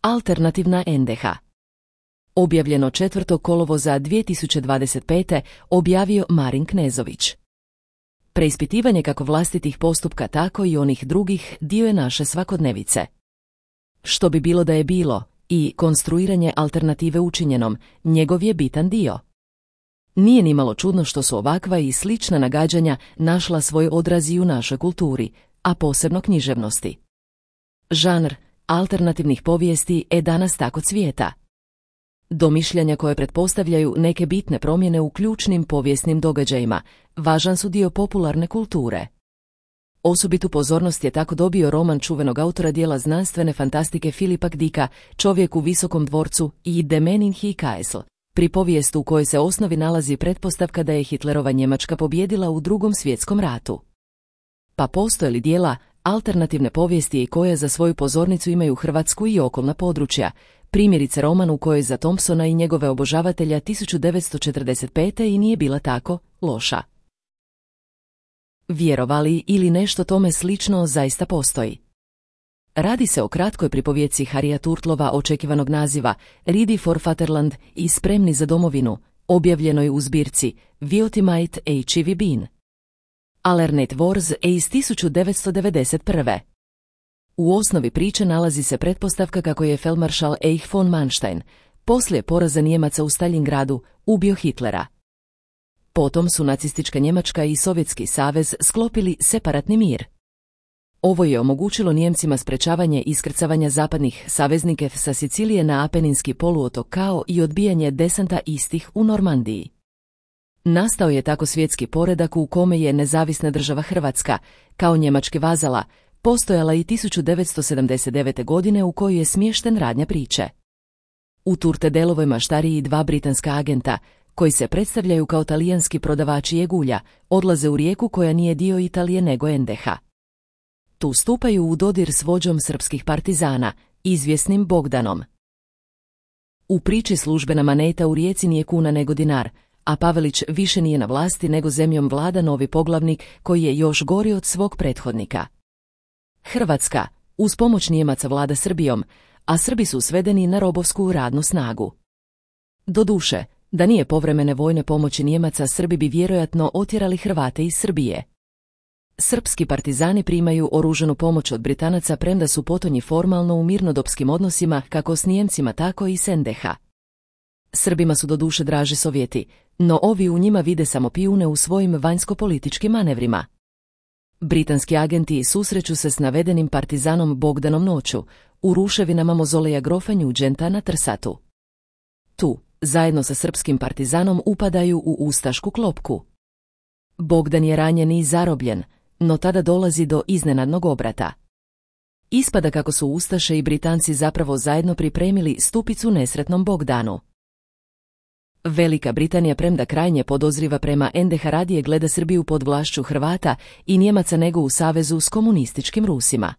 Alternativna NDH. Objavljeno 4. kolovoza 2025. objavio Marin Knezović. Preispitivanje kako vlastitih postupka tako i onih drugih dio je naše svakodnevice. Što bi bilo da je bilo i konstruiranje alternative učinjenom, njegov je bitan dio. Nije nimalo čudno što su ovakva i slična nagađanja našla svoj odraz i u našoj kulturi, a posebno književnosti. Žanr alternativnih povijesti danas tako cvijeta. Domišljanja koje pretpostavljaju neke bitne promjene u ključnim povijesnim događajima važan su dio popularne kulture. Osobitu pozornost je tako dobio roman čuvenog autora dijela znanstvene fantastike Philipa K. Dicka Čovjek u visokom dvorcu i Der Mann in High Castle, pripovijest u kojoj se osnovi nalazi pretpostavka da je Hitlerova Njemačka pobijedila u Drugom svjetskom ratu. Pa postoje li dijela alternativne povijesti i koje za svoju pozornicu imaju Hrvatsku i okolna područja, primjerice roman u kojoj za Thompsona i njegove obožavatelja 1945. i nije bila tako loša. Vjerovali ili nešto tome slično zaista postoji. Radi se o kratkoj pripovjeci Harrya Turtlova očekivanog naziva Ready for Fatherland i Spremni za domovinu, objavljenoj u zbirci Viotimite H.E.V. Bean. Alternate Wars iz 1991. U osnovi priče nalazi se pretpostavka kako je feldmaršal Erich von Manstein, poslije poraza Nijemaca u Staljingradu, ubio Hitlera. Potom su nacistička Njemačka i Sovjetski savez sklopili separatni mir. Ovo je omogućilo Nijemcima sprečavanje iskrcavanja zapadnih saveznika sa Sicilije na Apeninski poluotok kao i odbijanje desanta istih u Normandiji. Nastao je tako svjetski poredak u kome je nezavisna država Hrvatska, kao njemački vazala, postojala i 1979. godine u kojoj je smješten radnja priče. U Turtedelovoj maštariji dva britanska agenta, koji se predstavljaju kao talijanski prodavači jegulja, odlaze u Rijeku koja nije dio Italije nego NDH. Tu stupaju u dodir s vođom srpskih partizana, izvjesnim Bogdanom. U priči službena moneta u Rijeci nije kuna nego dinar, a Pavelić više nije na vlasti nego zemljom vlada novi poglavnik koji je još gori od svog prethodnika. Hrvatska, uz pomoć Nijemaca vlada Srbijom, a Srbi su svedeni na robovsku radnu snagu. Doduše, da nije povremene vojne pomoći Nijemaca, Srbi bi vjerojatno otjerali Hrvate iz Srbije. Srpski partizani primaju oružanu pomoć od Britanaca premda su potonji formalno u mirnodopskim odnosima kako s Nijemcima tako i s NDH. Srbima su doduše draži Sovjeti, no ovi u njima vide samo pijune u svojim vanjsko-političkim manevrima. Britanski agenti susreću se s navedenim partizanom Bogdanom noću, u ruševinama mozoleja grofa Nugenta na Trsatu. Tu, zajedno sa srpskim partizanom upadaju u ustašku klopku. Bogdan je ranjen i zarobljen, no tada dolazi do iznenadnog obrata. Ispada kako su Ustaše i Britanci zapravo zajedno pripremili stupicu nesretnom Bogdanu. Velika Britanija, premda krajnje podozriva prema NDH, radije gleda Srbiju pod vlašću Hrvata i Njemaca nego u savezu s komunističkim Rusima.